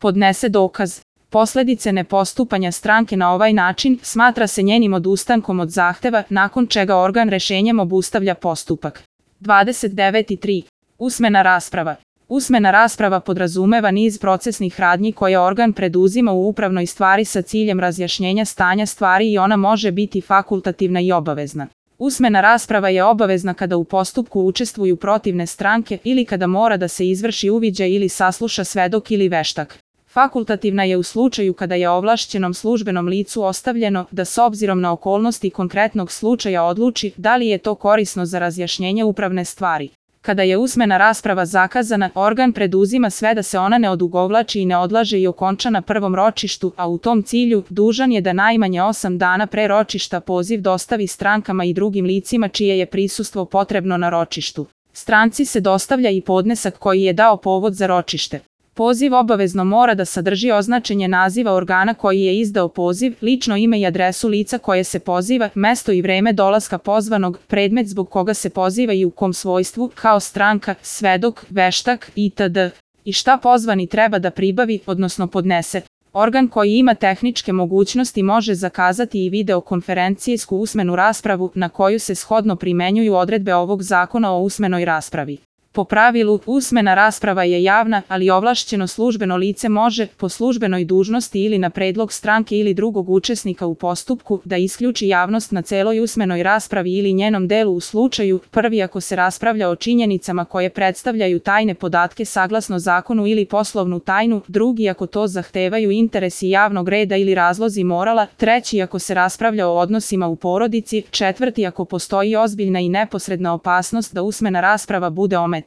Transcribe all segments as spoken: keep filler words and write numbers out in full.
podnese dokaz. Posledice nepostupanja stranke na ovaj način smatra se njenim odustankom od zahteva, nakon čega organ rešenjem obustavlja postupak. dvadeset devet i tri. Usmena rasprava. Usmena rasprava podrazumeva niz procesnih radnji koje organ preduzima u upravnoj stvari sa ciljem razjašnjenja stanja stvari i ona može biti fakultativna i obavezna. Usmena rasprava je obavezna kada u postupku učestvuju protivne stranke ili kada mora da se izvrši uviđaj ili sasluša svedok ili veštak. Fakultativna je u slučaju kada je ovlašćenom službenom licu ostavljeno da s obzirom na okolnosti konkretnog slučaja odluči da li je to korisno za razjašnjenje upravne stvari. Kada je usmena rasprava zakazana, organ preduzima sve da se ona ne odugovlači i ne odlaže i okonča na prvom ročištu, a u tom cilju dužan je da najmanje osam dana pre ročišta poziv dostavi strankama i drugim licima čije je prisustvo potrebno na ročištu. Stranci se dostavlja i podnesak koji je dao povod za ročište. Poziv obavezno mora da sadrži označenje naziva organa koji je izdao poziv, lično ime i adresu lica koje se poziva, mesto i vreme dolaska pozvanog, predmet zbog koga se poziva i u kom svojstvu, kao stranka, svedok, veštak itd. I šta pozvani treba da pribavi, odnosno podnese. Organ koji ima tehničke mogućnosti može zakazati i videokonferencijsku usmenu raspravu na koju se shodno primenjuju odredbe ovog zakona o usmenoj raspravi. Po pravilu, usmena rasprava je javna, ali ovlašćeno službeno lice može, po službenoj dužnosti ili na predlog stranke ili drugog učesnika u postupku, da isključi javnost na celoj usmenoj raspravi ili njenom delu u slučaju, prvi ako se raspravlja o činjenicama koje predstavljaju tajne podatke saglasno zakonu ili poslovnu tajnu, drugi ako to zahtevaju interesi javnog reda ili razlozi morala, treći ako se raspravlja o odnosima u porodici, četvrti ako postoji ozbiljna i neposredna opasnost da usmena rasprava bude ometana.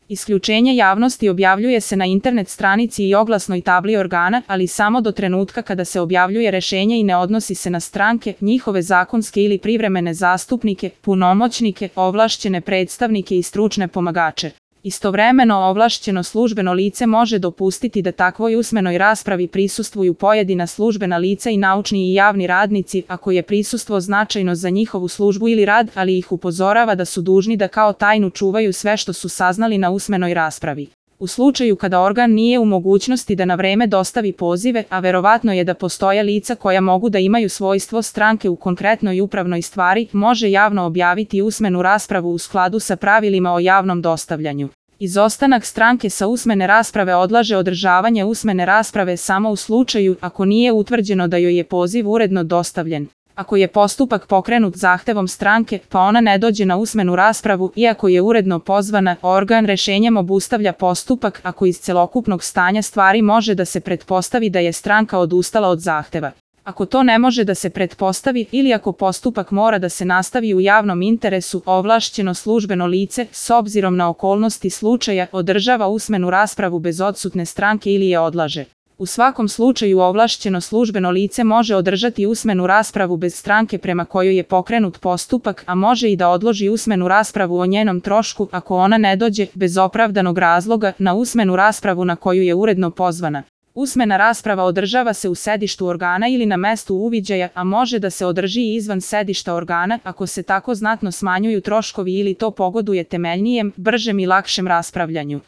Isključenje javnosti objavljuje se na internet stranici i oglasnoj tabli organa, ali samo do trenutka kada se objavljuje rešenje i ne odnosi se na stranke, njihove zakonske ili privremene zastupnike, punomoćnike, ovlašćene predstavnike i stručne pomagače. Istovremeno ovlašćeno službeno lice može dopustiti da takvoj usmenoj raspravi prisustvuju pojedina službena lica i naučni i javni radnici ako je prisustvo značajno za njihovu službu ili rad, ali ih upozorava da su dužni da kao tajnu čuvaju sve što su saznali na usmenoj raspravi. U slučaju kada organ nije u mogućnosti da na vreme dostavi pozive, a verovatno je da postoje lica koja mogu da imaju svojstvo stranke u konkretnoj upravnoj stvari, može javno objaviti usmenu raspravu u skladu sa pravilima o javnom dostavljanju. Izostanak stranke sa usmene rasprave odlaže održavanje usmene rasprave samo u slučaju ako nije utvrđeno da joj je poziv uredno dostavljen. Ako je postupak pokrenut zahtevom stranke, pa ona ne dođe na usmenu raspravu, iako je uredno pozvana, organ rešenjem obustavlja postupak ako iz celokupnog stanja stvari može da se pretpostavi da je stranka odustala od zahteva. Ako to ne može da se pretpostavi ili ako postupak mora da se nastavi u javnom interesu, ovlašćeno službeno lice, s obzirom na okolnosti slučaja, održava usmenu raspravu bez odsutne stranke ili je odlaže. U svakom slučaju ovlašćeno službeno lice može održati usmenu raspravu bez stranke prema kojoj je pokrenut postupak, a može i da odloži usmenu raspravu o njenom trošku ako ona ne dođe, bez opravdanog razloga, na usmenu raspravu na koju je uredno pozvana. Usmena rasprava održava se u sedištu organa ili na mestu uviđaja, a može da se održi i izvan sedišta organa ako se tako znatno smanjuju troškovi ili to pogoduje temeljnijem, bržem i lakšem raspravljanju.